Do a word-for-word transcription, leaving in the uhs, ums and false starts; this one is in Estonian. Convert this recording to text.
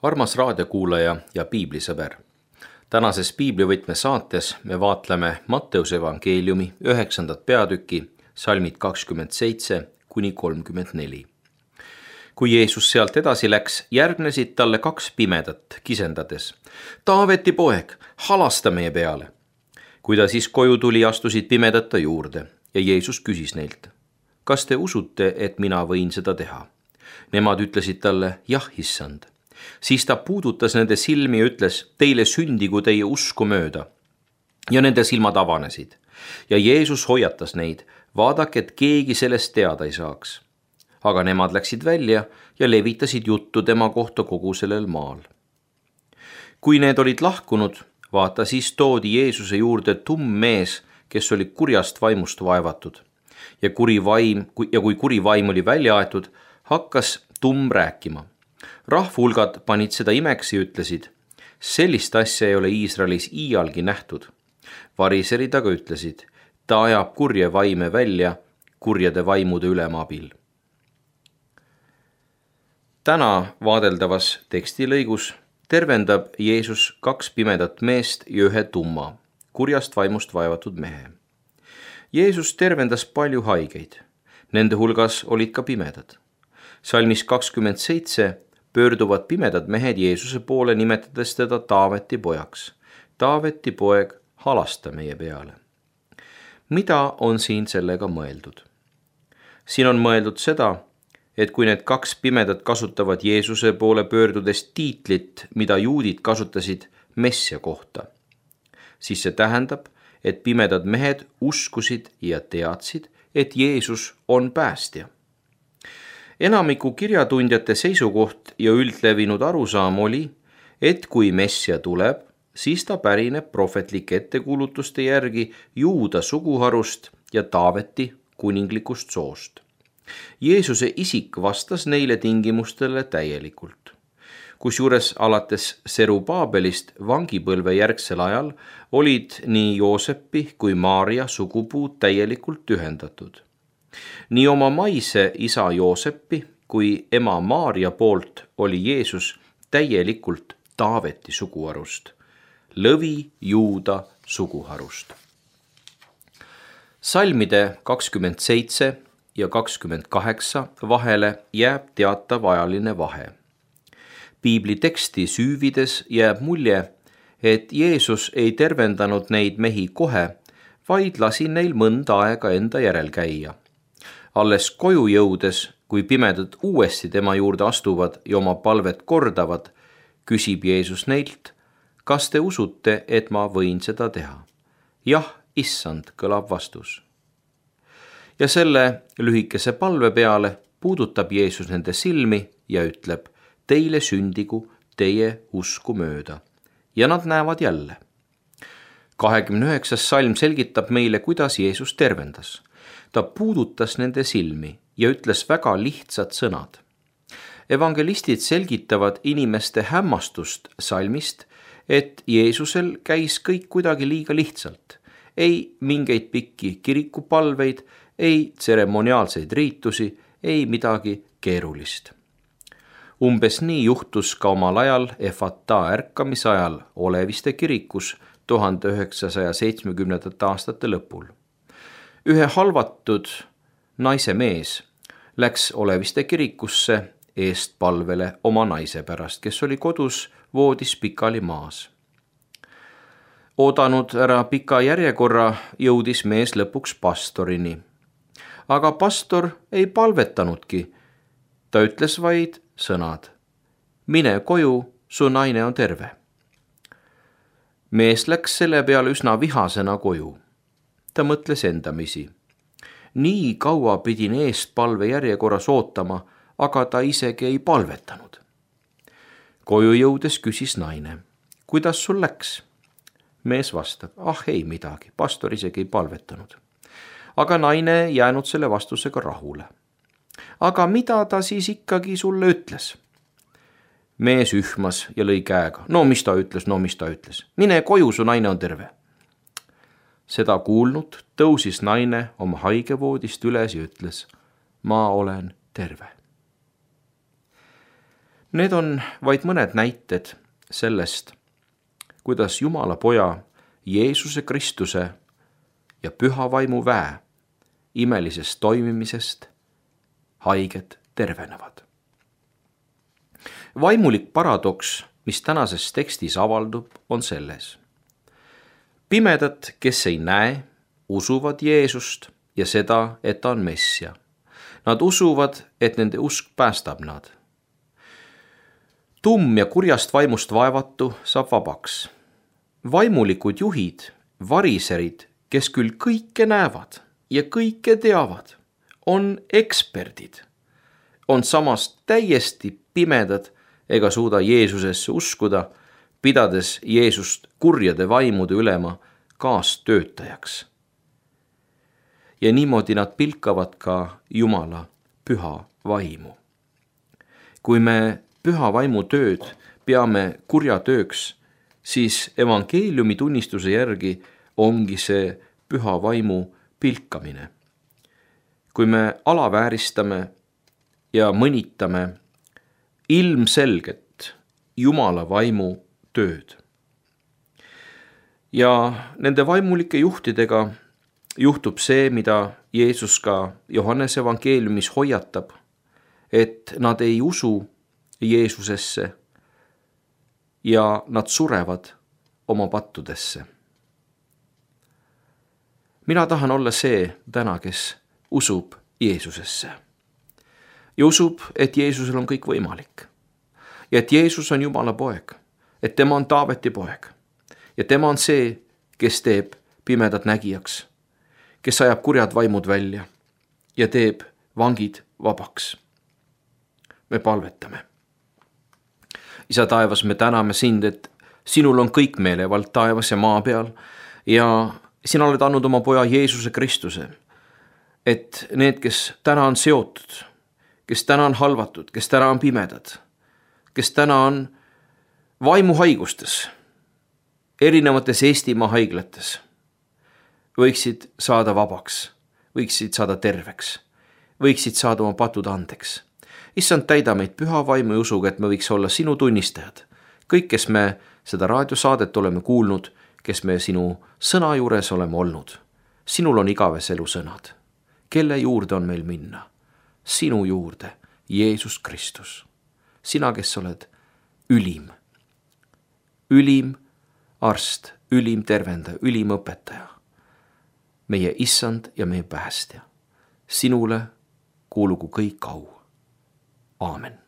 Armas raadiokuulaja ja piiblisõber. Tänases piiblivõtme saates me vaatleme Matteuse evangeeliumi üheksandat peatüki, salmid kakskümmend seitse kuni kolmkümmend neli. Kui Jeesus sealt edasi läks, järgnesid talle kaks pimedat kisendades. Taaveti poeg, halasta meie peale. Kui ta siis koju tuli, astusid pimedad ta juurde ja Jeesus küsis neilt: kas te usute, et mina võin seda teha? Nemad ütlesid talle: jah, issand. Siis ta puudutas nende silmi ja ütles: teile sündigu teie usku mööda. Ja nende silmad avanesid. Ja Jeesus hoiatas neid: vaadake, et keegi sellest teada ei saaks. Aga nemad läksid välja ja levitasid juttu tema kohta kogu sellel maal. Kui need olid lahkunud, vaata siis toodi Jeesuse juurde tumm mees, kes oli kurjast vaimust vaevatud. Ja, kuri vaim, ja kui kuri vaim oli välja aetud, hakkas tumm rääkima. Rahvulgad panid seda imeks ja ütlesid: sellist asja ei ole Iisraelis iialgi nähtud. Variserid aga ütlesid: ta ajab kurje vaime välja kurjade vaimude ülema abil. Täna vaadeldavas tekstilõigus tervendab Jeesus kaks pimedat meest ja ühe tumma, kurjast vaimust vaevatud mehe. Jeesus tervendas palju haigeid. Nende hulgas olid ka pimedad. Salmis kakskümmend seitse pöörduvad pimedad mehed Jeesuse poole, nimetades teda Taaveti pojaks. Taaveti poeg, halasta meie peale. Mida on siin sellega mõeldud? Siin on mõeldud seda, et kui need kaks pimedat kasutavad Jeesuse poole pöördudes tiitlit, mida juudid kasutasid messia kohta, siis see tähendab, et pimedad mehed uskusid ja teadsid, et Jeesus on päästja. Enamiku kirjatundjate seisukoht ja üldlevinud arusaam oli, et kui messia tuleb, siis ta pärineb prohvetlike ettekuulutuste järgi Juuda suguharust ja Taaveti kuninglikust soost. Jeesuse isik vastas neile tingimustele täielikult. Kusjuures alates Serubaabelist vangipõlve järgsel ajal olid nii Joosepi kui Maaria sugupuud täielikult ühendatud. Nii oma maise isa Joosepi kui ema Maaria poolt oli Jeesus täielikult Taaveti suguharust, lõvi Juuda suguharust. Salmide kakskümmend seitse ja kakskümmend kaheksa vahele jääb teatav ajaline vahe. Piibli teksti süüvides jääb mulje, et Jeesus ei tervendanud neid mehi kohe, vaid lasi neil mõnda aega enda järel käia. Alles koju jõudes, kui pimedad uuesti tema juurde astuvad ja oma palvet kordavad, küsib Jeesus neilt: kas te usute, et ma võin seda teha? jah, issand, kõlab vastus. Ja selle lühikese palve peale puudutab Jeesus nende silmi ja ütleb: teile sündigu teie usku mööda. Ja nad näevad jälle. kahekümne üheksas salm selgitab meile, kuidas Jeesus tervendas. Ta puudutas nende silmi ja ütles väga lihtsad sõnad. Evangelistid selgitavad inimeste hämmastust salmist, et Jeesusel käis kõik kuidagi liiga lihtsalt. Ei mingeid pikki kirikupalveid, ei tseremoniaalseid riitusi, ei midagi keerulist. Umbes nii juhtus ka omal ajal Efata ärkamise ajal Oleviste kirikus tuhande üheksasaja seitsmekümnendate aastate lõpul. Ühe halvatud naise mees läks Oleviste kirikusse eestpalvele oma naise pärast, kes oli kodus voodis pikali maas. Oodanud ära pika järjekorra, jõudis mees lõpuks pastorini. Aga pastor ei palvetanudki. Ta ütles vaid sõnad: mine koju, su naine on terve. Mees läks selle peale üsna vihasena koju. Ta mõtles endamisi: nii kaua pidin eestpalve järjekorras ootama, aga ta isegi ei palvetanud. Koju jõudes küsis naine: kuidas sul läks? Mees vastab: ah ei midagi, pastor isegi ei palvetanud. Aga naine jäänud selle vastusega rahule. Aga mida ta siis ikkagi sulle ütles? Mees ühmas ja lõi käega: no mis ta ütles, no mis ta ütles. Mine koju, su naine on terve. Seda kuulnud tõusis naine oma haigevoodist üles ja ütles: ma olen terve. Need on vaid mõned näited sellest, kuidas Jumala Poja Jeesuse Kristuse ja Püha Vaimu väe imelisest toimimisest haiged tervenevad. Vaimulik paradoks, mis tänases tekstis avaldub, on selles. Pimedad, kes ei näe, usuvad Jeesust ja seda, et ta on Messia. Nad usuvad, et nende usk päästab nad. Tumm ja kurjast vaimust vaevatu saab vabaks. Vaimulikud juhid, variserid, kes küll kõike näevad ja kõike teavad, on eksperdid, on samas täiesti pimedad ega suuda Jeesusesse uskuda, pidades Jeesust kurjade vaimude ülema kaastöötajaks. Ja niimoodi nad pilkavad ka Jumala püha vaimu. Kui me püha vaimu tööd peame kurja tööks, siis evangeeliumi tunnistuse järgi ongi see püha vaimu pilkamine. Kui me alavääristame ja mõnitame ilmselget Jumala vaimu tööd. Ja nende vaimulike juhtidega juhtub see, mida Jeesus ka Johannese evangeeliumis hoiatab, et nad ei usu Jeesusesse ja nad surevad oma pattudesse. Mina tahan olla see täna, kes usub Jeesusesse ja usub, et Jeesusel on kõik võimalik ja et Jeesus on Jumala poeg, et tema on Taaveti poeg ja tema on see, kes teeb pimedad nägijaks, kes ajab kurjad vaimud välja ja teeb vangid vabaks. Me palvetame. Isa taevas, me täname sind, et sinul on kõik meelevald taevas ja maa peal ja sina oled andnud oma poja Jeesuse Kristuse, et need, kes täna on seotud, kes täna on halvatud, kes täna on pimedad, kes täna on vaimuhaigustes, erinevates Eestimaa haiglates, võiksid saada vabaks, võiksid saada terveks, võiksid saada oma patud andeks. Issand, täida meid püha vaimu ja usuga, et me võiks olla sinu tunnistajad. Kõik, kes me seda raadiosaadet oleme kuulnud, kes me sinu sõna juures oleme olnud. Sinul on igaves elu sõnad. Kelle juurde on meil minna? Sinu juurde, Jeesus Kristus. Sina, kes oled ülim. Ülim arst, ülim tervendaja, ülim õpetaja. Meie issand ja meie päästja. Sinule kuulugu kõik au. Aamen.